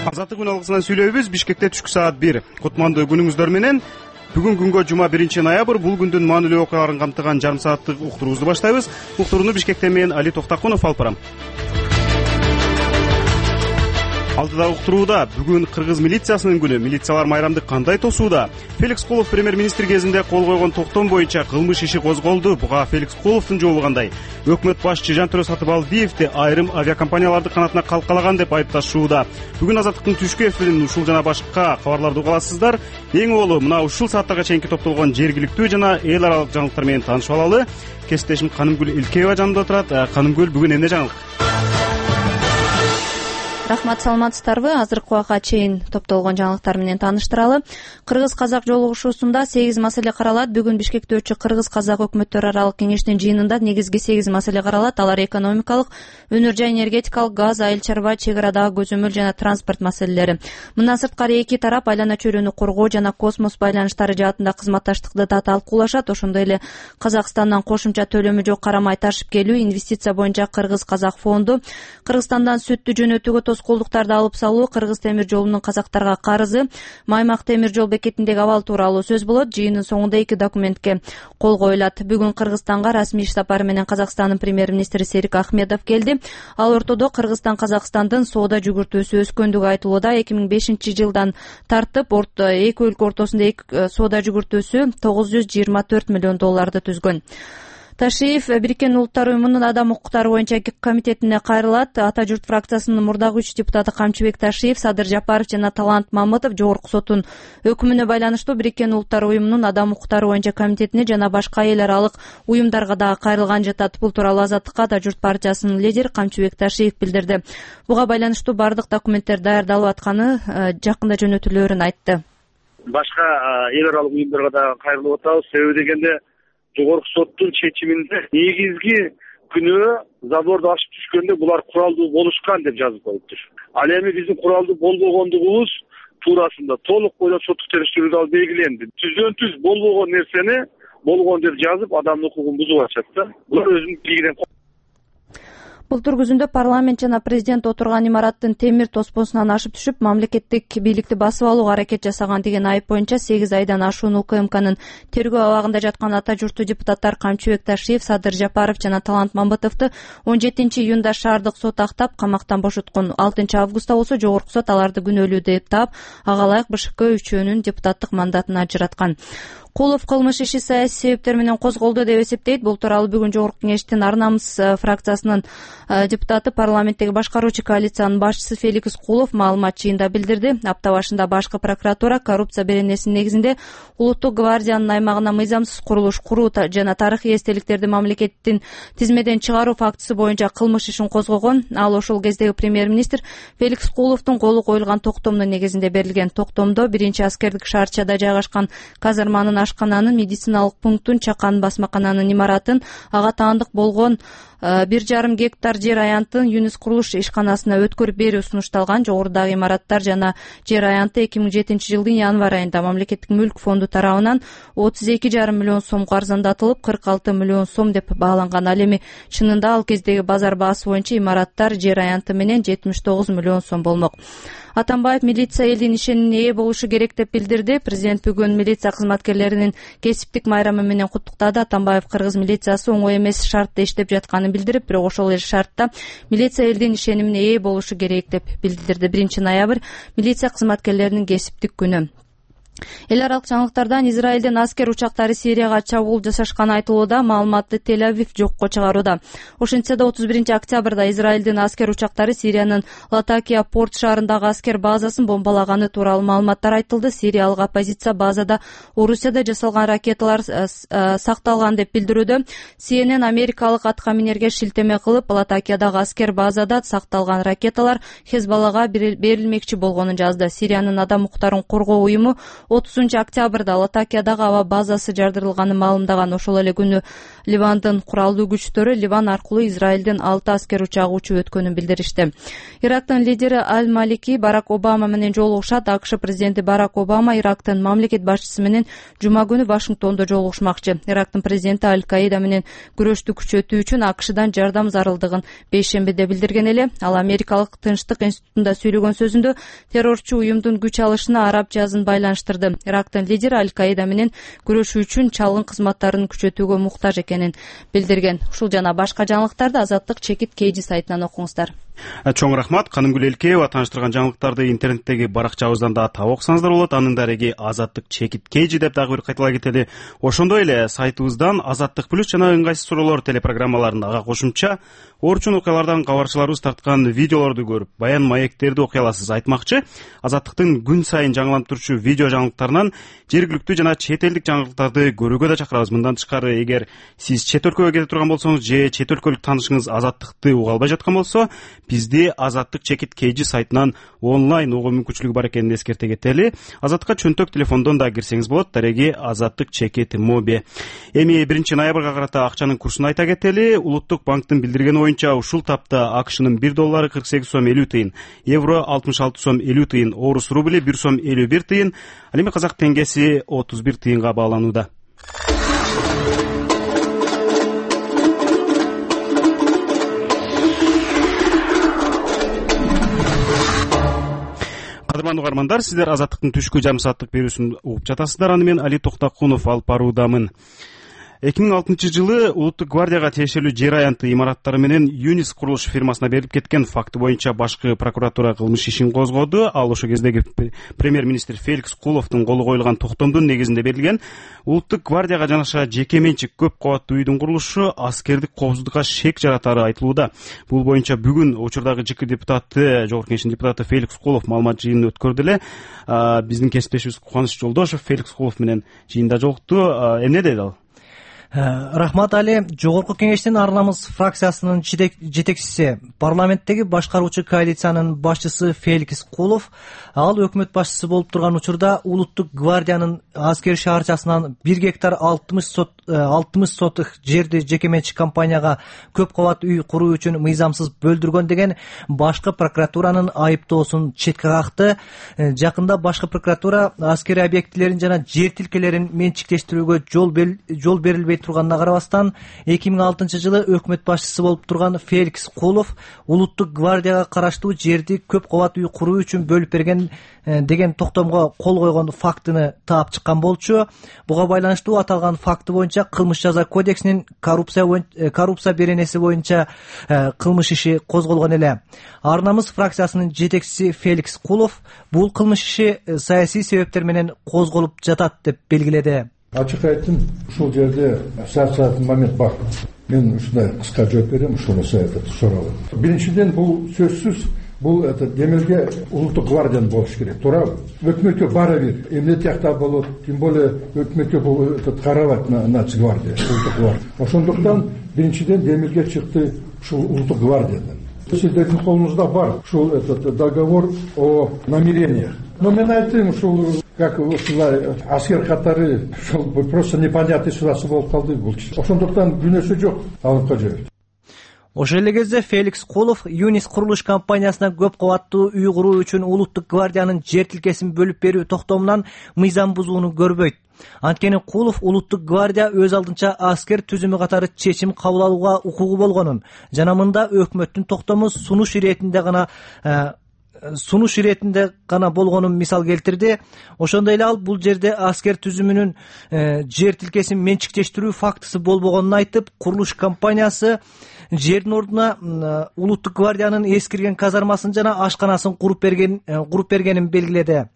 Азаттык күн алгысынан сүйлөйбүз. Бишкекте түшкү саат 1. Кутмандуу күнүңүздөр менен. Бүгүн күнгө жума 1 ноябрь. Бул күндүн маанилүү окуяларын камтыган жарым сааттык уктуруубузду баштайбыз. Уктурууну Бишкектен мен Али Токтакунов алып барам. Алдыда уктурууда бүгүн кыргыз милициясынын күнү. Милициялар майрамды кандай тосууда? Феликс Кулов премьер-министр кезинде кол койгон токтом боюнча кылмыш иши козголду. Буга Феликс Куловдун жообу кандай? Өкмөт башчы Жантөрө Сатыбалдиевди айрым авиакомпанияларды канатына калкалаган деп айыпташууда. Бүгүн Азаттыктын түшкү эфирин ушул жана башка кабарларды уга аласыздар. Эң олу мына ушул сааттарга чейинки топтолгон жергиликтүү жана эл аралык жаңылыктар менен таанышып алалы. Кесиптешим Канымгүл Илкеева жанымда турат. Канымгүл, бүгүн эмне жаңылык? Рахмат, саламатсыздарбы? Азыркы убакка чейин топтолгон жаңылыктар менен тааныштыралы. Кыргыз-казак жолугушуусунда 8 маселе каралат. Бүгүн Бишкекте өтчү Кыргыз-казак өкмөттөр аралык кеңештин жыйынында негизги 8 маселе каралат. Алар экономикалык, өнөр жай энергетикалык, газ, айыл чарба, чек арадагы көзөмөл жана транспорт маселелери. Мындан сырткары эки тарап айлана чөйрөнү коргоо жана космос байланыштары жаатында кызматташтыкты да талкуулашат. Ошондой эле Казакстандан кошумча төлөмү жок карамай ташып келүү, инвестиция боюнча Кыргыз-казак фонду, Кыргызстандан сүттү жөнөтүүгө тоскоолдуктарды алып салуу, Кыргыз темир жолунун казактарга карызы, Маймак темир жол бекетиндеги абал тууралуу сөз болот. Жыйындын соңунда 2 документке кол коюлат. Бүгүн Кыргызстанга расмий иш сапары менен Казакстандын премьер-министри Серик Ахмедов келди. Ал ортодо Кыргызстан Казакстандын соода жүгүртүүсү өскөндүгү айтылууда. 2005-жылдан тартып эки өлкө ортосунда соода жүгүртүүсү $924 миллион түзгөн. Ташиев Бириккен Улуттар уюмунун адам укуктары боюнча комитетине кайрылат. Ата журт фракциясынын мурдагы 3 депутаты Камчыбек Ташиев, Садыр Жапаров жана Талант Мамытов Жогорку соттун өкүмүнө байланыштуу Бириккен Улуттар уюмунун адам укуктары боюнча комитетине жана башка эл аралык уюмдарга дагы кайрылган жатат. Бул тууралуу Азаттыкка Ата журт партиясынын лидери Камчыбек Ташиев билдирди. Буга байланыштуу бардык документтер даярдалып атканы, жакында жөнөтүлөөрүн айтты. Башка эл аралык уюмдарга дагы кайрылып атабыз. Себеби дегенде Жогорку соттун чечиминде негизги күнөө заборду ашып түшкөндө булар куралдуу болушкан деп жазып коюптур. Ал эми биздин куралдуу болбогондугубуз туурасында толук бойлоп соттук териштирүүдө ал белгиленди. Түздөн-түз болбогон нерсени болгон деп жазып адамдын укугун бузуп атышат да. Булар өзүнүн бийлигинен. Былтыр күзүндө парламент жана президент отурган имараттын темир тоспосунан ашып түшүп, мамлекеттик бийликти басып алууга аракет жасаган деген айып боюнча 8 айдан ашуун УКМКнын тергөө абагында жаткан ата журттуу депутаттар Камчыбек Ташиев, Садыр Жапаров жана Талант Мамытовду 17-июнда шаардык сот актап, камактан бошоткон. 6-августта болсо Жогорку сот аларды күнөөлүү деп таап, ага ылайык БШК үчөөнүн депутаттык мандатын ажыраткан. Кулов кылмыш иши саясий себептер менен козголду деп эсептейт. Бул тууралуу бүгүн Жогорку кеңештин Ар намыс фракциясынын депутаты, парламенттеги башкаруучу коалициянын башчысы Феликс Кулов маалымат чыйында билдирди. Апта башында башкы прокуратура коррупция беренесинин негизинде Улуттук гвардиянын аймагына мыйзамсыз курулуш куруу жана тарыхый эстеликтерди мамлекеттин тизмеден чыгаруу фактысы боюнча кылмыш ишин козгогон. Ал ошол кездеги премьер-министр Феликс Куловдун колу коюлган токтомдун негизинде берилген. Токтомдо 1-аскердик шаарчада жайгашкан казарманын, ашкананын, медициналык пункттун, чакан басмакананын имаратын, ага таандык болгон 1,5 гектар жер аянтын ЮНИС курулуш ишканасына өткөрүп берүү сунушталган. Жогорудагы имараттар жана жер аянты 2007-жылдын январь айында мамлекеттик мүлк фонду тарабынан 32,5 миллион сомго арзандатылып, 46 миллион сом деп бааланган. Ал эми чынында ал кездеги базар баасы боюнча имараттар жер аянты менен 79 миллион сом болмок. Атамбаев милиция элдин ишенимине ээ болушу керек деп билдирди. Президент бүгүн милиция кызматкерлеринин кесиптик майрамы менен куттуктады. Атамбаев кыргыз милициясы оңой эмес шартта иштеп жатканын билдирип, бирок ошол эле шартта милиция элдин ишенимине ээ болушу керек деп билдирди. 1 ноябрь милиция кызматкерлеринин кесиптик күнү. Эл аралык жаңылыктардан Израилдин аскер учактары Сирияга чабуул жасашканы айтылууда. Маалыматты Тель-Авив жокко чыгарууда. Ошентсе да 31 октябрда Израилдин аскер учактары Сириянын Латакия порт шаарындагы аскер базасын бомбалаганы тууралуу маалыматтар айтылды. Сириялык оппозиция базада Орусияда жасалган ракеталар сакталган деп билдирүүдө. CNN америкалык аткаминерге шилтеме кылып, Латакиядагы аскер базада сакталган ракеталар Хезбаллага берилмекчи болгонун жазды. Сириянын адам укуктарын коргоо уюму 30-октябрда Латакиядагы аба базасы жардырылганын маалымдаган. Ошол эле күнү Ливандын куралдуу күчтөрү Ливан аркылуу Израилдин 6 аскер учагы учуп өткөнүн билдиришти. Ирактын лидери Аль-Малики Барак Обама менен жолугушат. АКШ президенти Барак Обама Ирактын мамлекет башчысы менен жума күнү Вашингтондо жолугушмакчы. Ирактын президенти Аль-Каида менен күрөштү күчөтүү үчүн АКШдан жардам зарылдыгын бейшембиде билдирген эле. Ал Америкалык Тынчтык институтунда сүйлөгөн сөзүндө террорчу уюмдун күч алышына араб жазын байланыштырды. Ирактын лидери Аль-Каида менен күрөшүү үчүн чалгын кызматтарын күчөтүүгө муктаж экенин билдирген. Ушул жана башка жаңылыктарды Азаттык чекит KG сайтынан окуңуздар. Чоң рахмат. Канымгүл Элкеева тааныштырган жаңылыктарды интернеттеги баракчабыздан да таап окусаңыздар болот. Анын дареги Азаттык чекит KG деп дагы бир кайталай кетели. Ошондой эле сайтыбыздан Азаттык плюс жана ыңгайсыз суроолор телепрограммаларын ага кошумча орчун окуялардан кабарчыларыбыз тарткан видеолорду көрүп, баян маектерди окуй аласыз. Айтмакчы, Азаттыктын күн сайын жаңыланып турчу видео жаңылыктарынан жергиликтүү жана чет элдик жаңылыктарды көрүүгө да чакырабыз. Мындан тышкары, эгер сиз чет өлкөгө кете турган болсоңуз же чет өлкөлүк таанышыңыз Азаттыкты уга албай жаткан болсо, бизди Азаттык чекит KG сайтынан онлайн угуу мүмкүнчүлүгү бар экенин эскерте кетели. Азаттыкка чөнтөк телефондон да кирсеңиз болот. Дареги Азаттык чекит моби. Эми 1-ноябрга карата акчанын курсун айта кетели. Улуттук банктын билдиргени боюнча ушул тапта АКШнын 1 доллары 48 сом 50 тыйын, евро 66 сом 50 тыйын, орус рубли 1 сом 51 тыйын, ал эми казак теңгеси 31 тыйынга бааланууда. Кадырман угармандар, сиздер Азаттыктын түшкү жарым сааттык берүүсүн угуп жатасыздар. Аны мен Али Токтакунов алып баруудамын. 2006-жылы Улуттук гвардияга тиешелүү жер аянты имараттары менен Юнис курулуш фирмасына берилип кеткен факты боюнча башкы прокуратура кылмыш ишин козгоду. Ал ошо кездеги премьер-министр Феликс Куловдун колу коюлган токтомдун негизинде берилген. Улуттук гвардияга жанаша жеке менчик көп кабаттуу үйдүн курулушу аскердик коопсуздукка шек жаратары айтылууда. Бул боюнча бүгүн учурдагы ЖК депутаты, Жогорку Кеңештин депутаты Феликс Кулов маалымат жыйынын өткөрдү эле. Биздин кесиптешибиз Кубаныч Жолдошов Феликс Кулов менен жыйында жолукту. Эмне деди ал? Рахмат Али. Жогорку Кеңештин Ар намыс фракциясынын жетекчиси, парламенттеги башкаруучу коалициянын башчысы Феликс Кулов, ал өкмөт башчысы болуп турган учурда Улуттук гвардиянын аскер шаарчасынан 1 гектар 60 сотых жерди жеке менчик компанияга көп кабат үй куруу үчүн мыйзамсыз бөлдүргөн деген башкы прокуратуранын айыптоосун четке какты. Жакында башкы прокуратура аскер объектилерин жана жер тилкелерин менчиктештирүүгө жол берилбей турганына карабастан 2006-жылы өкмөт башчысы болуп турган Феликс Кулов Улуттук гвардияга караштуу жерди көп кабат үй куруу үчүн бөлүп берген деген токтомго кол койгон фактыны таап чыккан болчу. Буга байланыштуу аталган факты боюнча кылмыш жаза кодексинин коррупция беренеси боюнча кылмыш иши козголгон эле. Ар намыс фракциясынын жетекчиси Феликс Кулов бул кылмыш иши саясий себептер менен козголуп жатат деп белгиледи. Ачык айттым, ушул жерде саат момент бар. Мен ушундай кыска жооп берем, ушуну суроо. Биринчиден, бул сөзсүз, бул демелге Улуттук гвардиянын болуш керек, туурабы? Өкмөткө бара бир, эмне тиякта болот, тем более өкмөткө бул карабайт Нацгвардия, Улуттук гвардия. Ошондуктан биринчиден демелге чыкты ушул Улуттук гвардиядан. Сиздердин колуңузда бар ушул договор о намерениях. Но мен айттым, ушул как ушулай аскер катары ушул просто непонятный ситуация болуп калды бул. Ошондуктан күнөөсү жок алып калып. Ошол эле кезде Феликс Кулов Юнис курулуш компаниясына көп кабаттуу үй куруу үчүн Улуттук гвардиянын жер тилкесин бөлүп берүү токтомунан мыйзам бузууну көрбөйт. Анткени Кулов Улуттук гвардия өз алдынча аскер түзүмү катары чечим кабыл алууга укугу болгонун жана мында өкмөттүн токтому сунуш иретинде гана болгонун мисал келтирди. Ошондой эле ал бул жерде аскер түзүмүнүн жер тилкесин менчиктештирүү фактысы болбогонун айтып, курулуш компаниясы жердин ордуна Улуттук гвардиянын эскирген казармасын жана ашканасын куруп бергенин белгиледи.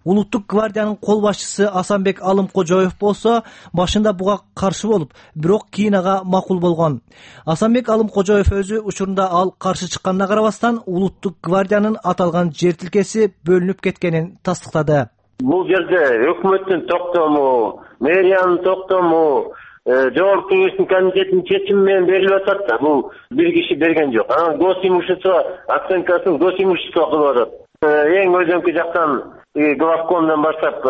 Улуттук гвардиянын кол башчысы Асанбек Алымкожоев болсо башында буга каршы болуп, бирок кийин ага макул болгон. Асанбек Алымкожоев өзү учурунда ал каршы чыкканына карабастан Улуттук гвардиянын аталган жер тилкеси бөлүнүп кеткенин тастыктады. Бул жерде өкмөттүн токтому, мэриянын токтому, Жогорку Кеңештин комитетинин чечими менен берилип атат да. Бул бир киши берген жок. Госимущество оценкасын госимущество кылып атат. Эң өзөңкү жактан главкомдон баштап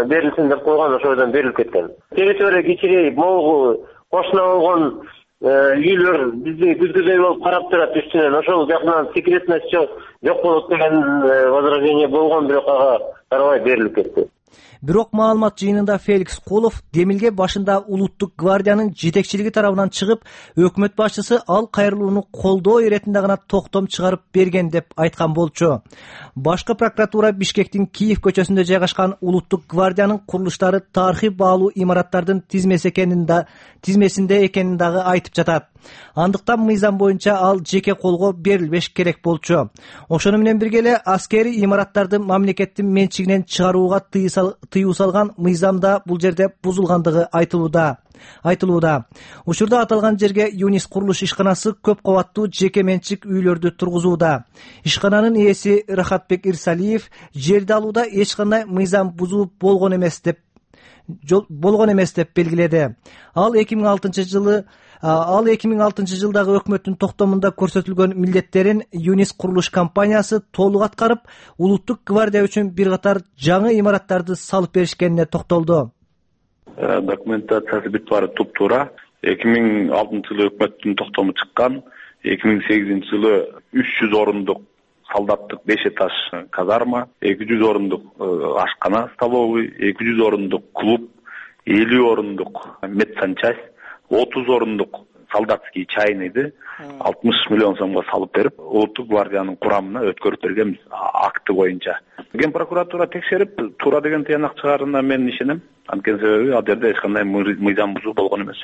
берилсин деп койгон, ошодон берилип кеткен. Территория кичирейип, могу кошуна болгон үйлөр бизди күзгүдөй болуп карап турат үстүнөн. Ошол жакынан секретность жок болот деген возражение болгон, бирок ага карабай берилип кетти. Бирок маалымат жыйынында Феликс Кулов Демилге башында улуттук гвардиянын жетекчилиги тарабынан чыгып, өкмөт башчысы ал кайрылууну колдоо иретинде гана токтом чыгарып берген деп айткан болчу. Башкы прокуратура Бишкектин Киев көчөсүндө жайгашкан улуттук гвардиянын курулуштары тарыхый баалуу имараттардын тизмесинде экенин дагы айтып жатат. Андыктан мыйзам боюнча ал жеке колго берилбеш керек болчу. Ошону менен бирге эле аскерий имараттарды мамлекеттин менчигинен чыгарууга тыюу салган мыйзам да бул жерде бузулгандыгы айтылууда. Учурда аталган жерге ЮНИС курулуш ишканасы көп кабаттуу жеке менчик үйлөрдү тургузууда. Ишкананын ээси Рахатбек Ирсалиев жерди алууда эч кандай мыйзам бузуу болгон эмес деп белгиледи. Ал 2006 жылдагы өкмөттүн токтомунда көрсөтүлгөн милдеттерин ЮНИС курулуш компаниясы толук аткарып, улуттук гвардия үчүн бир катар жаңы имараттарды салып беришкенине токтолду. Документациясы бүт баары туп-туура. 2006 жылы өкмөттүн токтому чыккан. 2008 жылы 300 орундук солдаттык 5 этаж казарма, 200 орундук ашкана столовый, 200 орундук клуб, 50 орундук медсанчасть, 30 орундук солдатский чайныйды 60 миллион сомго салып берип, улуттук гвардиянын курамына өткөрүп бергенбиз акты боюнча. Ген прокуратура текшерип, туура деген тыянак чыгарына мен ишенем. Анткени себеби ал жерде эч кандай мыйзам бузуу болгон эмес.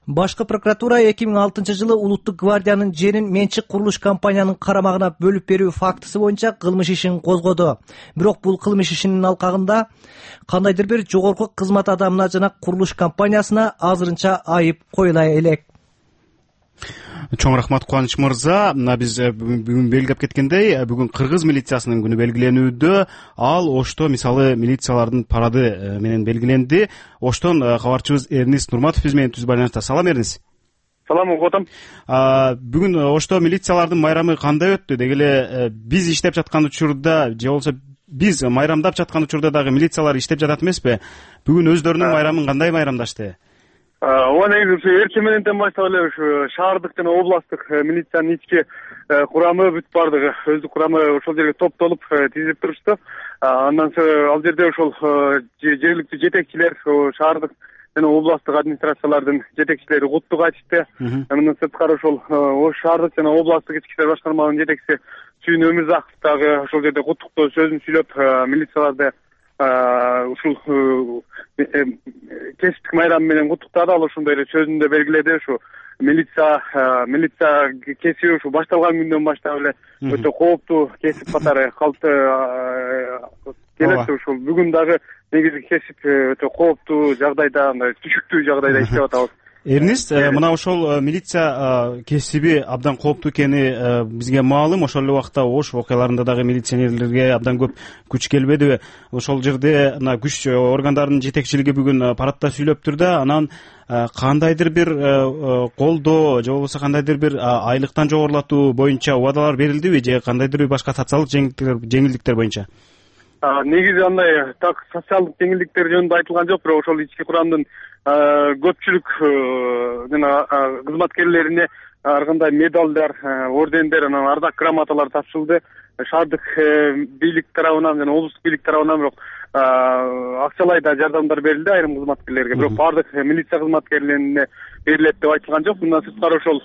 Башкы прокуратура 2006 жылы улуттук гвардиянын жерин менчик курулуш компаниянын карамагына бөлүп берүү фактысы боюнча кылмыш ишин козгоду. Бирок бул кылмыш ишинин алкагында кандайдыр бир жогорку кызмат адамына жана курулуш компаниясына азырынча айып коюла элек. Чоң рахмат Кубаныч мырза. Мына биз бүгүн белгилеп кеткендей, бүгүн кыргыз милициясынын күнү белгиленүүдө. Ал Ошто мисалы милициялардын парады менен белгиленди. Оштон кабарчыбыз Эрнист Нурматов биз менен түз байланышта. Салам Эрнист. Салам окотом. Бүгүн Ошто милициялардын майрамы кандай өттү? Деги эле биз иштеп жаткан учурда же болбосо биз майрамдап жаткан учурда дагы милициялар иштеп жатат эмеспи? Бүгүн өздөрүнүн майрамын кандай майрамдашты? Ооба, негизи эртең мененден баштап эле ушу шаардык жана областтык милициянын ички курамы бүт баардыгы өздүк курамы ошол жерге топтолуп тизилип турушты. Андан соң ал жерде ошол жергиликтүү жетекчилер, шаардык жана областтык администрациялардын жетекчилери куттук айтышты. Мындан сырткары ошол шаардык жана областтык ички иштер башкармалыгынын жетекчиси Сүйүн Өмүрзаков дагы ошол жерде куттуктоо сөзүн сүйлөп, милицияларды ушул кесиптик майрам менен куттуктады. Ал ошондой эле сөзүндө белгиледи, ушу милиция кесиби ушу башталган күндөн баштап эле өтө кооптуу кесип катары келет. Ушул бүгүн дагы негизи кесип өтө кооптуу жагдайда, мындай түшүктүү жагдайда иштеп атабыз. Эрнист, мына ошол милиция кесиби абдан кооптуу экени бизге маалым. Ошол эле убакта Ош окуяларында дагы милиционерлерге абдан көп күч келбедиби? Ошол жерде мына күч органдарынын жетекчилиги бүгүн парадта сүйлөптүр да, анан кандайдыр бир колдоо же болбосо кандайдыр бир айлыктан жогорулатуу боюнча убадалар берилдиби же кандайдыр бир башка социалдык жеңилдиктер боюнча? Негизи андай так социалдык жеңилдиктер жөнүндө айтылган жок, бирок ошол ички курамдын көпчүлүк жана кызматкерлерине ар кандай медалдар, ордендер, анан ардак грамоталар тапшырылды. Шаардык бийлик тарабынан жана облустук бийлик тарабынан бирок акчалай да жардамдар берилди айрым кызматкерлерге. Бирок баардык милиция кызматкерлерине берилет деп айтылган жок. Мындан сырткары ошол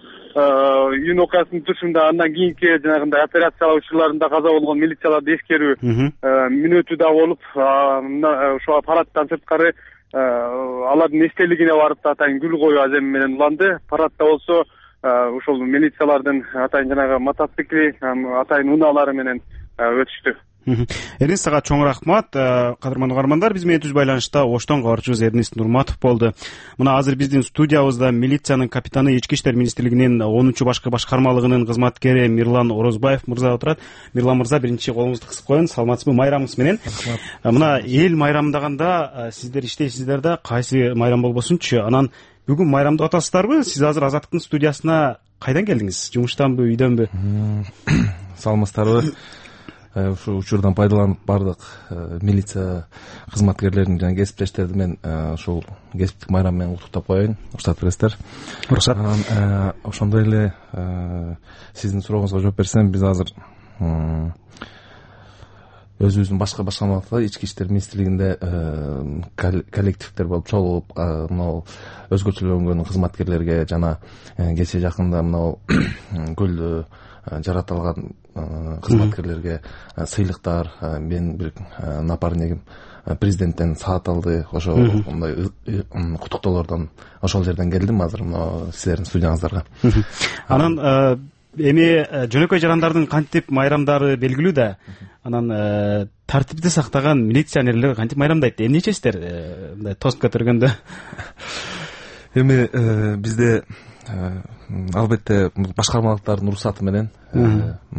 июнь окуясынын турушунда андан кийинки жанагындай операциялар учурларында каза болгон милицияларды эскерүү мүнөтү да болуп, ошо парадтан сырткары алардын эстелигине барып да атайын гүл коюу аземи менен уланды. Парадда болсо ошол милициялардын атайын жанагы мотоцикли, атайын унаалары менен өтүштү. Эрнист, ага чоң рахмат. Кадырман угармандар, биз менен түз байланышта Оштон кабарчыбыз Эрнист Нурматов болду. Мына азыр биздин студиябызда милициянын капитаны, Ички иштер министрлигинин 10-чу башкы башкармалыгынын кызматкери Мирлан Орозбаев мырза отурат. Мирлан мырза, биринчи колуңузду кысып коюңуз. Саламатсызбы? Майрамыңыз менен. Мына эл майрамдаганда сиздер иштейсиздер да, кайсы майрам болбосунчу. Анан бүгүн майрамдап атасыздарбы? Сиз азыр Азаттыктын студиясына кайдан келдиңиз? Жумуштанбы, үйдөнбү? Саламатсыздарбы? Ушул учурдан пайдаланып баардык милиция кызматкерлерин жана кесиптештерди мен ушул кесиптик майрам менен куттуктап коеюн. Уруксат бересиздер? Уруксат. Ошондой эле сиздин сурооңузга жооп берсем, биз азыр өзүбүздүн башка башкармалыкта ички иштер министрлигинде коллективдер болуп чогулуп, мынау өзгөчөлөнгөн кызматкерлерге жана кечээ жакында мынау көлдө жаратылган кызматкерлерге сыйлыктар, менин бир напарнигим президенттен саат алды. Ошо мындай куттуктоолордон ошол жерден келдим азыр мына сиздердин студияңыздарга. Анан эми жөнөкөй жарандардын кантип майрамдары белгилүү да. Анан тартипти сактаган милиционерлер кантип майрамдайт? Эмне ичесиздер мындай тост көтөргөндө? Эми бизде албетте башкармалыктардын уруксаты менен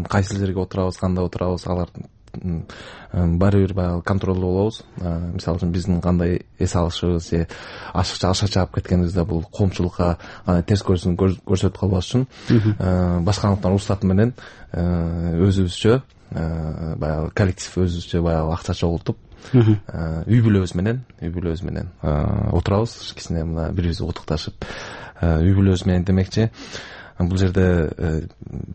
кайсы жерге отурабыз, кандай отурабыз, алардын баары бир баягы контролдо болобуз. Мисалы үчүн биздин кандай эс алышыбыз же ашыкча аша чаап кеткенибизде бул коомчулукка терс көрсөтүп калбаш үчүн башкармалыктардын уруксаты менен өзүбүзчө баягы коллектив өзүбүзчө баягы акча чогултуп үй бүлөбүз менен отурабыз, кичине мына бирибизди куттукташып үй бүлөбүз менен демекчи. Бул жерде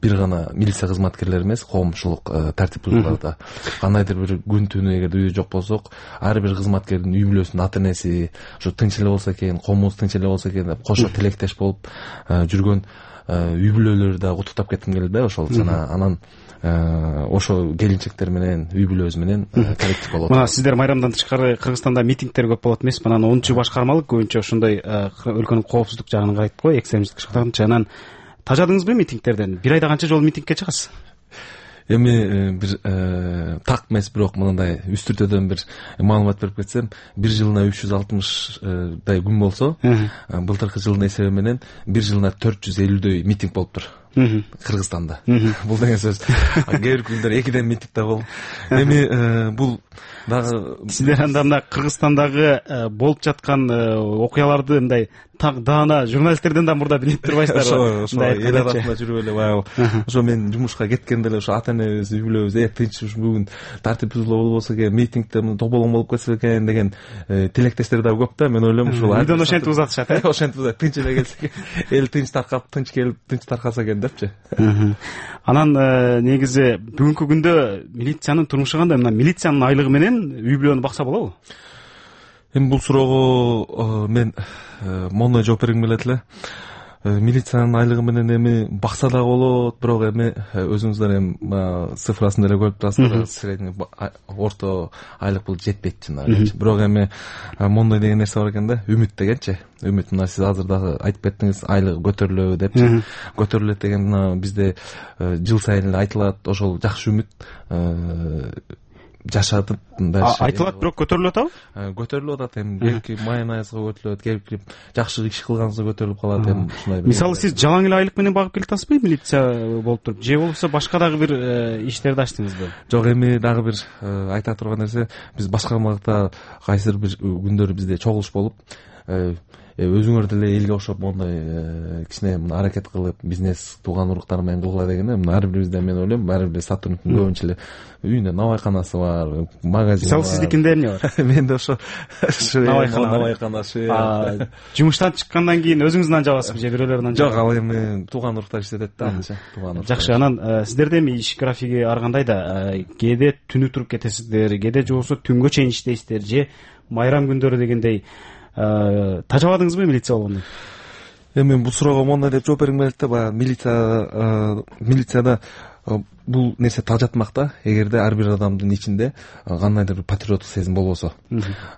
бир гана милиция кызматкерлери эмес, коомчулук тартип бузууларда кандайдыр бир күн түнү эгерде үйдө жок болсок, ар бир кызматкердин үй бүлөсүнүн ата энеси ушу тынч эле болсо экен, коомубуз тынч эле болсо экен деп кошо тилектеш болуп жүргөн үй бүлөлөрдү да куттуктап кетким келди да. Ошол жана анан ошо келинчектер менен үй бүлөбүз менен коллектив болот. Мына сиздер майрамдан тышкары Кыргызстанда митингдер көп болот эмеспи? Анан 10-чу башкармалык көбүнчө ошондой өлкөнүн коопсуздук жагын карайт го, экстремисттик жагын. Анан тажадыңызбы митингтерден? Бир айда канча жолу митингке чыгасыз? Эми бир так эмес, бирок мындай үстүртөдөн бир маалымат берип кетсем, бир жылына 360 күн болсо, былтыркы жылдын эсеби менен бир жылына 450 митинг болуптур Кыргызстанда. Бул деген сөз кээ бир күндөр 2ден митинг да болуп. Эми бул дагы сиздер анда мына Кыргызстандагы болуп жаткан окуяларды мындай так даана журналисттерден да мурда билип турбайсыздарбы? Ошо эл арасында жүрүп эле баягы ошо мен жумушка кеткенде эле ошо ата энебиз, үй бүлөбүз тынч бүгүн тартип бузулуу болбосо экен, митингде тополоң болуп кетсе экен деген тилектештер да көп да. Мен ойлойм ушул үйдөн ошентип узатышат, ошентип узат, тынч эле келсе эл тынч таркап, тынч келип, тынч таркаса экен депчи. Анан негизи бүгүнкү күндө милициянын турмушу кандай? Мына милициянын айлыгы менен үй бүлөнү бакса болобу? Эми бул суроого мен мондой жооп бергим келет эле. Милициянын айлыгы менен эми бакса дагы болот, бирок эми өзүңүздөр эми цифрасын деле көрүп турасыздар, средний орто айлык бул жетпейт чын. Бирок эми мондой деген нерсе бар экен да, үмүт дегенчи. Үмүт, мына сиз азыр дагы айтып кеттиңиз, айлыгы көтөрүлөбү депчи. Көтөрүлөт деген мына бизде жыл сайын эле айтылат, ошол жакшы үмүт жашатып айтылат, бирок көтөрүлүп атабы? Көтөрүлүп атат. Эми кээки майонезге көтөрүлөт, кээки жакшы иш кылганыңызда көтөрүлүп калат. Эми ушундай. Мисалы сиз жалаң эле айлык менен багып келатасызбы милиция болуп туруп, же болбосо башка дагы бир иштерди ачтыңызбы? Жок, эми дагы бир айта турган нерсе, биз башкармалыкта кайсыр бир күндөр бизде чогулуш болуп, өзүңөр деле элге окшоп мондой кичине мына аракет кылып, бизнес тууган уруктар менен кылгыла дегенде, мына ар бирибизде мен ойлойм, ар бир сотрудниктин көбүнчө эле үйүндө навайканасы бар, магазин бар. Мисалы сиздикинде эмне бар? Менде ошо навайкана, жумуштан чыккандан кийин өзүңүз нан жабасызбы же бирөөлөр нан жабат? Жок, ал эми тууган уруктар иштетет да, анча тууган уруктар. Жакшы, анан сиздерде эми иш графиги ар кандай да? Кээде түнү туруп кетесиздер, кээде же болбосо түнгө чейин иштейсиздер, же майрам күндөрү дегендей тажабадыңызбы милиция болгондо? Эми бул суроого мондой деп жооп бергим келет да, баягы милицияда бул нерсе тажатмак да, эгерде ар бир адамдын ичинде кандайдыр бир патриоттук сезим болбосо.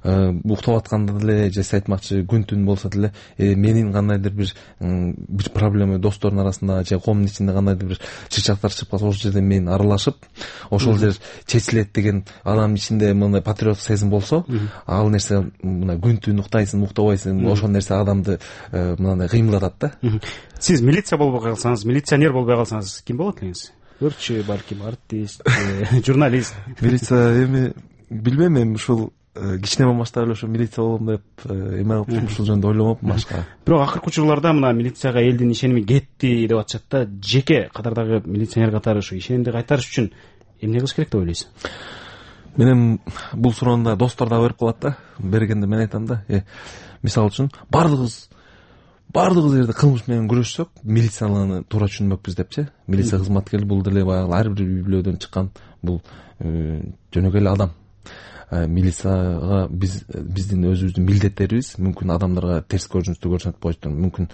Уктап атканда деле же айтмакчы күн түн болсо деле менин кандайдыр бир проблема достордун арасында же коомдун ичинде кандайдыр бир чырчактар чыгып калса, ошол жерде мен аралашып, ошол жер чечилет деген адамдын ичинде мындай патриоттук сезим болсо, ал нерсе мына күн түн уктайсың, уктабайсың, ошол нерсе адамды мындай кыймылдатат да. Сиз милиция болбой калсаңыз, милиционер болбой калсаңыз ким болот элеңиз? Өртчү, балким артист, журналист. Милиция эми билбейм, эми ушул кичине масштаб эле ошо милиция болом деп эме кылып ушул жөнүндө ойломопмун башка. Бирок акыркы учурларда мына милицияга элдин ишеними кетти деп атышат да. Жеке катардагы милиционер катары ушу ишенимди кайтарыш үчүн эмне кылыш керек деп ойлойсуз? Мен эми бул суроону достор да берип калат да. Бергенде мен айтам да, мисалы үчүн баардыгыбыз жерде кылмыш менен күрөшсөк, милицияны туура түшүнмөкпүз депчи. Милиция кызматкери бул деле баягы ар бир үй бүлөдөн чыккан бул жөнөкөй эле адам. Милицияга биздин өзүбүздүн милдеттерибиз мүмкүн адамдарга терс көрүнүштү көрсөтүп коюшту. Мүмкүн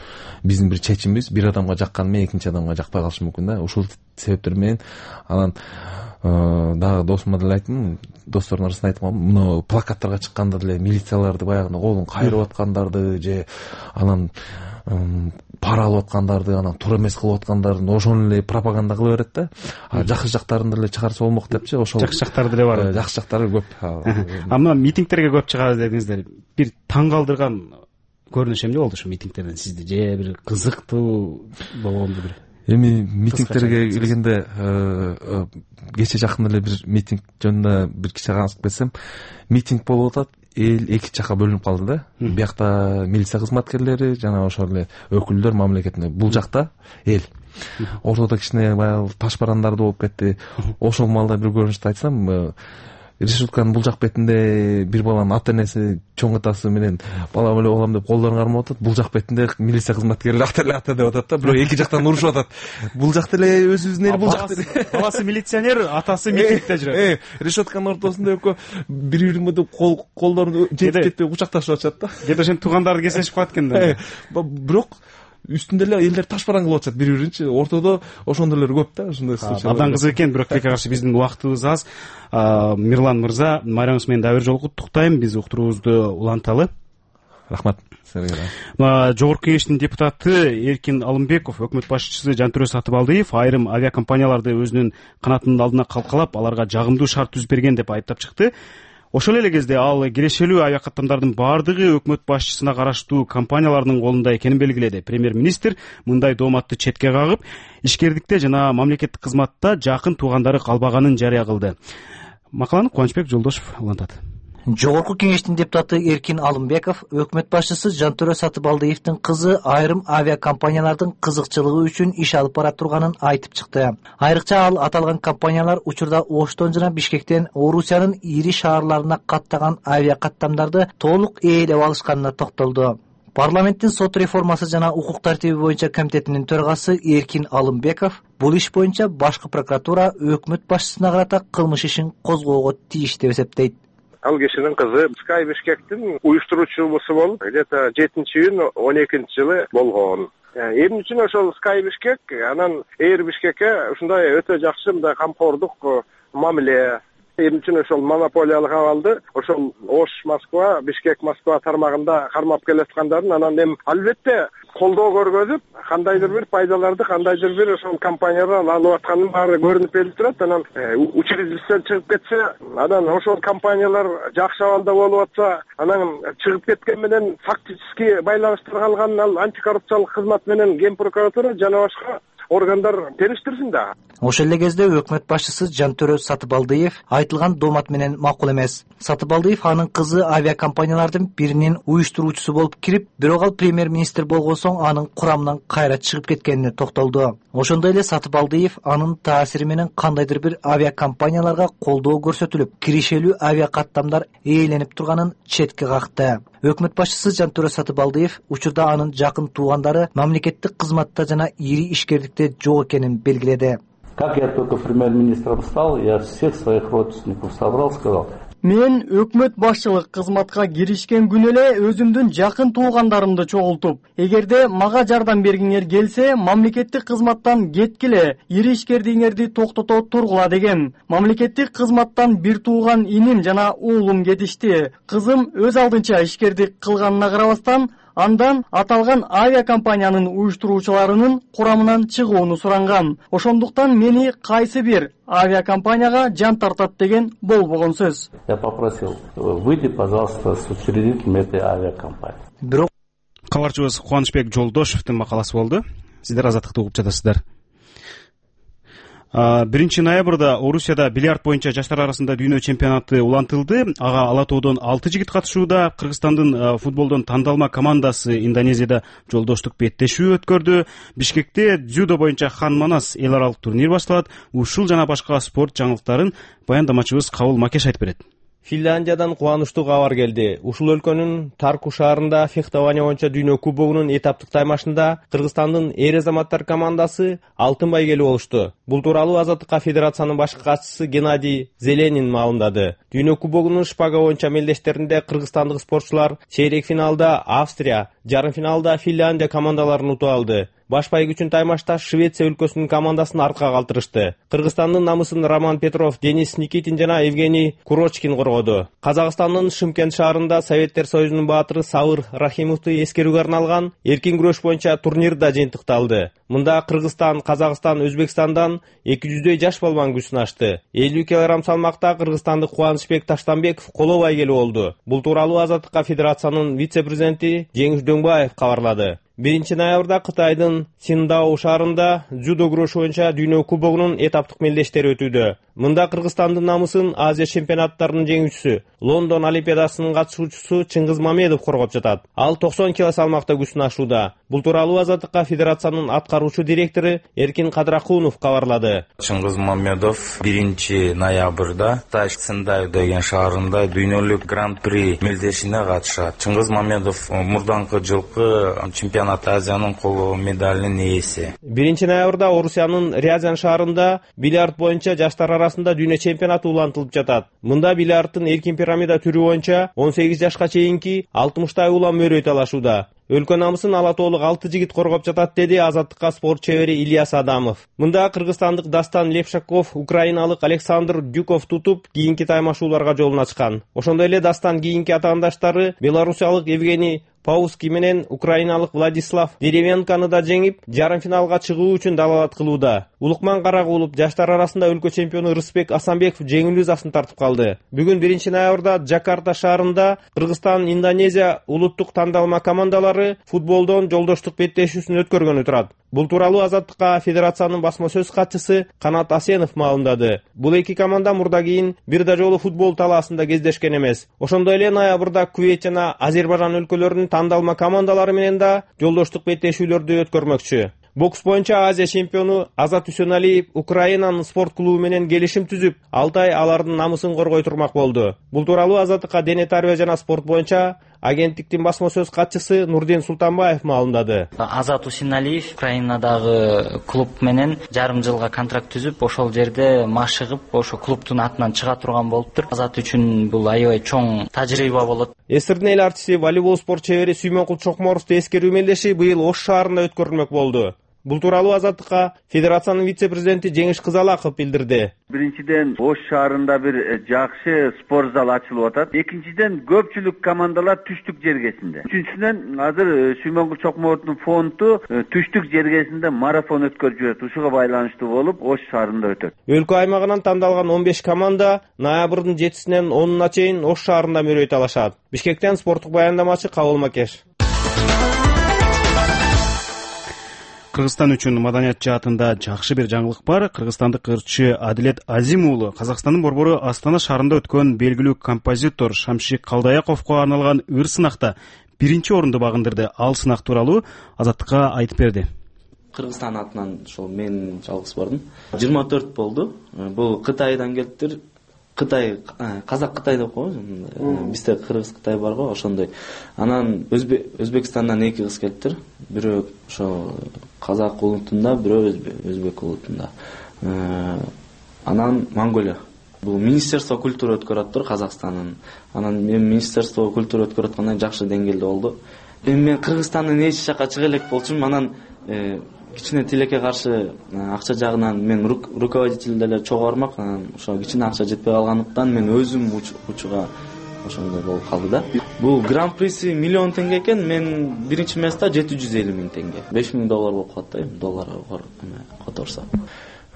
биздин бир чечимибиз бир адамга жакканы менен экинчи адамга жакпай калышы мүмкүн да. Ушул себептер менен анан дагы досума деле айттым, достордун арасында айтып калдым, мына плакаттарга чыкканда деле милицияларды баягы колун кайрып аткандарды же анан пара алып аткандарды, анан туура эмес кылып аткандарын ошону эле пропаганда кыла берет да. Жакшы жактарын деле чыгарса болмок депчи. Ошол жакшы жактары деле бар. Жакшы жактары көп. Мына митингтерге көп чыгабыз дедиңиздер. Бир таң калтырган көрүнүш эмне болду ушу митингтерден сизди? Же бир кызыктуу болгонду бир? Эми митингтерге келгенде кече жакын эле бир митинг жөнүндө бир кичи аңсып кетсем, митинг болуп атат, эл эки жакка бөлүнүп калды да. Биякта милиция кызматкерлери жана ошол эле өкүлдөр мамлекеттин. Бул жакта эл. Ортодо кичине баягы таш барандарды болуп кетти. Ошол маалда бир көрүнүштү айтсам, решетканын бул жак бетинде бир баланын ата энеси чоң атасы менен балам эле болом деп колдорун кармап атат. Бул жак бетинде милиция кызматкерлери ата деп атат да. Бирок эки жактан урушуп атат. Бул жакта эле өзүбүздүн эл, бул жакта эле баласы милиционер, атасы митингде жүрөт. Решетканын ортосунда экөө бири-бирине деп колдорун жетип кетпей кучакташып атышат да. Кээде ошентип туугандары кездешип калат экен да. Бирок үстүндө эле элдер таш бараң кылып атышат бири-биринчи. Ортодо ошондойлор көп да, ушундай случай. Абдан кызык экен, бирок тилекке каршы биздин убактыбыз аз. Мирлан мырза, майрамыңыз менен дагы бир жолу куттуктайм. Биз уктуруубузду уланталы. Рахмат. Жогорку кеңештин депутаты Эркин Алымбеков, өкмөт башчысы Жантүрө Сатыбалдиев айрым авиакомпанияларды өзүнүн канатынын алдына калкалап, аларга жагымдуу шарт түзүп берген деп айыптап чыкты. Ошол эле кезде ал кирешелүү авиакаттамдардын баардыгы өкмөт башчысына караштуу компаниялардын колунда экенин белгиледи. Премьер-министр мындай дооматты четке кагып, ишкердикте жана мамлекеттик кызматта жакын туугандары калбаганын жарыя кылды. Макаланы Кубанычбек Жолдошев улантат. Жогорку кеңештин депутаты Эркин Алымбеков өкмөт башчысы Жантүрө Сатыбалдиевдин кызы айрым авиакомпаниялардын кызыкчылыгы үчүн иш алып бара турганын айтып чыкты. Айрыкча ал аталган компаниялар учурда Оштон жана Бишкектен Орусиянын ири шаарларына каттаган авиакаттамдарды толук ээлеп алышканына токтолду. Парламенттин сот реформасы жана укук тартиби боюнча комитетинин төрагасы Эркин Алымбеков бул иш боюнча башкы прокуратура өкмөт башчысына карата кылмыш ишин козгоого тийиш деп эсептейт. Ал кишинин кызы Sky Bishkek'tin уюштуруучусу болуп, где-то 7-июнь 12-жылы болгон. Эмне үчүн ошол Sky Bishkek анан Air Bishkek'e ушундай өтө жакшы мындай камкордук мамиле, эмне үчүн ошол монополиялык абалды ошол Ош Москва, Бишкек Москва тармагында кармап келаткандарын анан эми албетте колдоо көргөзүп, кандайдыр бир пайдаларды, кандайдыр бир ошол компаниялар алып атканын баары көрүнүп келип турат. Анан учредитель чыгып кетсе, анан ошол компаниялар жакшы абалда болуп атса, анан чыгып кеткен менен фактически байланыштар калган ал антикоррупциялык кызмат менен Ген прокуратура жана башка органдар териштирсин да. Ошол эле кезде өкмөт башчысы Жантүрө Сатыбалдиев айтылган доомат менен макул эмес. Сатыбалдиев анын кызы авиакомпаниялардын биринин уюштуруучусу болуп кирип, бирок ал премьер-министр болгон соң анын курамынан кайра чыгып кеткенине токтолду. Ошондой эле Сатыбалдиев анын таасири менен кандайдыр бир авиакомпанияларга колдоо көрсөтүлүп, кирешелүү авиакаттамдар ээленип турганын четке какты. Өкмөт башчысы Жантүрө Сатыбалдиев учурда анын жакын туугандары мамлекеттик кызматта жана ири ишкердикте жок экенин белгиледи. Как я только премьер-министром стал, я всех своих родственников собрал, сказал: мен өкмөт башчылык кызматка киришкен күнү эле өзүмдүн жакын туугандарымды чогултуп, эгерде мага жардам бергиңер келсе, мамлекеттик кызматтан кеткиле, ири ишкердигиңерди токтото тургула деген. Мамлекеттик кызматтан бир тууган иним жана уулум кетишти. Кызым өз алдынча ишкердик кылганына карабастан, андан аталган авиакомпаниянын уюштуруучуларынын курамынан чыгууну суранган. Ошондуктан мени кайсы бир авиакомпанияга жан тартат деген болбогон сөз. Я попросил: выйди, пожалуйста, с учредителем этой авиакомпании. Бирок кабарчыбыз Кубанычбек Жолдошевдун макаласы болду. Сиздер Азаттыкты угуп жатасыздар. 1 ноябрда Орусияда бильярд боюнча жаштар арасында дүйнө чемпионаты улантылды. Ага Ала Тоодон 6 жигит катышууда. Кыргызстандын футболдон тандалма командасы Индонезияда жолдоштук беттешүү өткөрдү. Бишкекте дзюдо боюнча Хан Манас эл аралык турнир башталат. Ушул жана башка спорт жаңылыктарын баяндамачыбыз Кабыл Макеш айтып берет. Финляндиядан кубанычтуу кабар келди. Ушул өлкөнүн Тарку шаарында фехтование боюнча дүйнө кубогунун этаптык таймашында Кыргызстандын эр азаматтар командасы алтын байгелүү болушту. Бул тууралуу Азаттыкка федерациянын башкы катчысы Геннадий Зеленин маалымдады. Дүйнө кубогунун шпага боюнча мелдештеринде кыргызстандык спортчулар чейрек финалда Австрия, жарым финалда Финляндия командаларын утуп алды. Баш байгүүчүн таймашта Швеция өлкөсүнүн командасын артка калтырышты. Кыргызстандын намысын Роман Петров, Денис Никитин жана Евгений Курочкин коргоду. Казакстандын Шымкент шаарында Советтер Союзунун баатыры Сабыр Рахимовду эскерүүгө арналган эркин күрөш боюнча турнир да жыйынтыкталды. Мында Кыргызстан, Казакстан, Өзбекстандан 200 жаш балбан күч сынашты. 50 кг салмакта кыргызстандык Кубанычбек Таштанбеков коло байгелүү болду. Бул тууралуу Азаттыкка федерациянын вице-президенти Жеңиш Дөңбаев кабарлады. 1 ноябрда Кытайдын Синдао шаарында дзюдо күрөшү боюнча дүйнө кубогунун этаптык мелдештери өтүүдө. Мында Кыргызстандын намысын Азия чемпионаттарынын жеңүүчүсү, Лондон олимпиадасынын катышуучусу Чыңгыз Мамедов коргоп жатат. Ал 90 кг салмакта күч сынашууда. Бул тууралуу Азаттыкка федерациянын аткаруучу директору Эркин Кадракунов кабарлады. Чыңгыз Мамедов 1 ноябрда Кытай Синдао деген шаарында дүйнөлүк гран-при мелдешине катышат. Чыңгыз Мамедов мурдаңкы жылкы чемпионат Азиянын коло медалинин ээси. 1 ноябрда Орусиянын Рязань шаарында бильярд боюнча жаштар арасында дүйнө чемпионаты улантылып жатат. Мында бильярдтын эркин пирамида түрү боюнча 18 жашка чейинки 60 улам мөрөй талашууда. Өлкө намысын Ала Тоолук 6 жигит коргоп жатат, деди Азаттыкка спорт чебери Ильяс Адамов. Мында кыргызстандык Дастан Лепшаков, украиналык Александр Дюков тутуп, кийинки таймашууларга жолун ачкан. Ошондой эле Дастан кийинки атаандаштары белорусиялык Евгений Пауски менен украиналык Владислав Деревенканы да жеңип, жарым финалга чыгуу үчүн далалат кылууда. Улукман Карагулов жаштар арасында өлкө чемпиону Рысбек Асанбеков жеңилүү засын тартып калды. Бүгүн 1 ноябрда Джакарта шаарында Кыргызстан, Индонезия улуттук тандалма командалары футболдон жолдоштук беттешүүсүн өткөргөнү турат. Бул тууралуу Азаттыкка федерациянын басма сөз катчысы Канат Асенов маалымдады. Бул эки команда мурда кийин бир да жолу футбол талаасында кездешкен эмес. Ошондой эле ноябрда Кувейт жана Азербайжан өлкөлөрүнүн тандалма командалары менен да жолдоштук беттешүүлөрдү өткөрмөкчү. Бокс боюнча Азия чемпиону Азат Үсөналиев Украинанын спорт клубу менен келишим түзүп, 6 ай алардын намысын коргой турмак болду. Бул тууралуу Азаттыкка дене тарбия жана спорт боюнча агенттиктин басма сөз катчысы Нурден Султанбаев маалымдады. Азат Үсөналиев Украинадагы клуб менен жарым жылга контракт түзүп, ошол жерде машыгып, ошо клубтун атынан чыга турган болуптур. Азат үчүн бул аябай чоң тажрыйба болот. Эсирдин эл артисти, волейбол спорт чебери Сүймөнкул Чокморовду эскерүү мелдеши быйыл Ош шаарында өткөрүлмөк болду. Бул тууралуу Азаттыкка федерациянын вице-президенти Жеңиш Кызалаков билдирди. Биринчиден Ош шаарында бир жакшы спорт зал ачылып атат. Экинчиден көпчүлүк командалар түштүк жергесинде. Үчүнчүдөн азыр Сүймөнкул Чокморовдун фонду түштүк жергесинде марафон өткөрүп жүрөт. Ушуга байланыштуу болуп Ош шаарында өтөт. Өлкө аймагынан тандалган 15 команда ноябрдын 7-синен 10-уна чейин Ош шаарында мөрөй талашат. Бишкектен спорттук баяндамачы Кабыл Макеш. Кыргызстан үчүн маданият жаатында жакшы бир жаңылык бар. Кыргызстандык ырчы Адилет Азим уулу Казакстандын борбору Астана шаарында өткөн белгилүү композитор Шамшик Калдаяковго арналган ыр сынакта 1-орунду багындырды. Ал сынак тууралуу Азаттыкка айтып берди. Кыргызстан атынан ошол мен жалгыз бардым. 24 болду. Бул Кытайдан келиптир. Кытай, Казак Кытай деп коебуз. Бизде Кыргыз Кытай бар го, ошондой. Анан Өзбекстандан 2 кыз келиптир. Бирөө ошо Казак улутунда, бирөө Өзбек улутунда. Анан Монголия. Бул Министерство культуры өткөрөттүр Казакстандын. Анан мен Министерство культуры өткөрөткөндөн жакшы деңгээлде болду. Мен Кыргызстандын эч жакка чыга элек болчумун. Анан кичине тилекке каршы акча жагынан мен руководитель деле чогуу бармак. Анан ошо кичине акча жетпей калгандыктан мен өзүм учуга ошондой болуп калды да. Бул гран-приси $1 миллион экен. Мен биринчи месте $750,000. $5,000 болуп калат да, доллар которсо.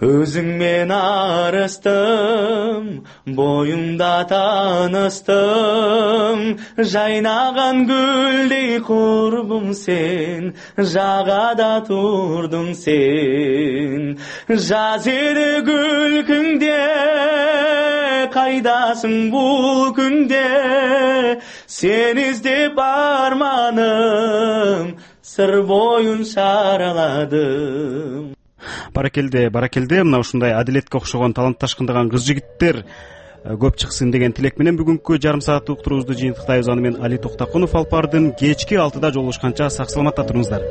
Өзүңмен арыстым, боюмда таныстым, жайнаган гүлдей курбум сен, жагада турдуң сен. жаз эди күлкүңдө кайдасың бул күндө сени издеп арманым сыр боюн шараладым. Баракелде мына ушундай Адилетке окшогон талантташкындаган кыз жигиттер көп чыксын деген тилек менен бүгүнкү жарым сааттык уктуруубузду жыйынтыктайбыз. Аны мен Али Токтокунов алып бардым. Кечки 6-да жолугушканча сак саламатта туруңуздар.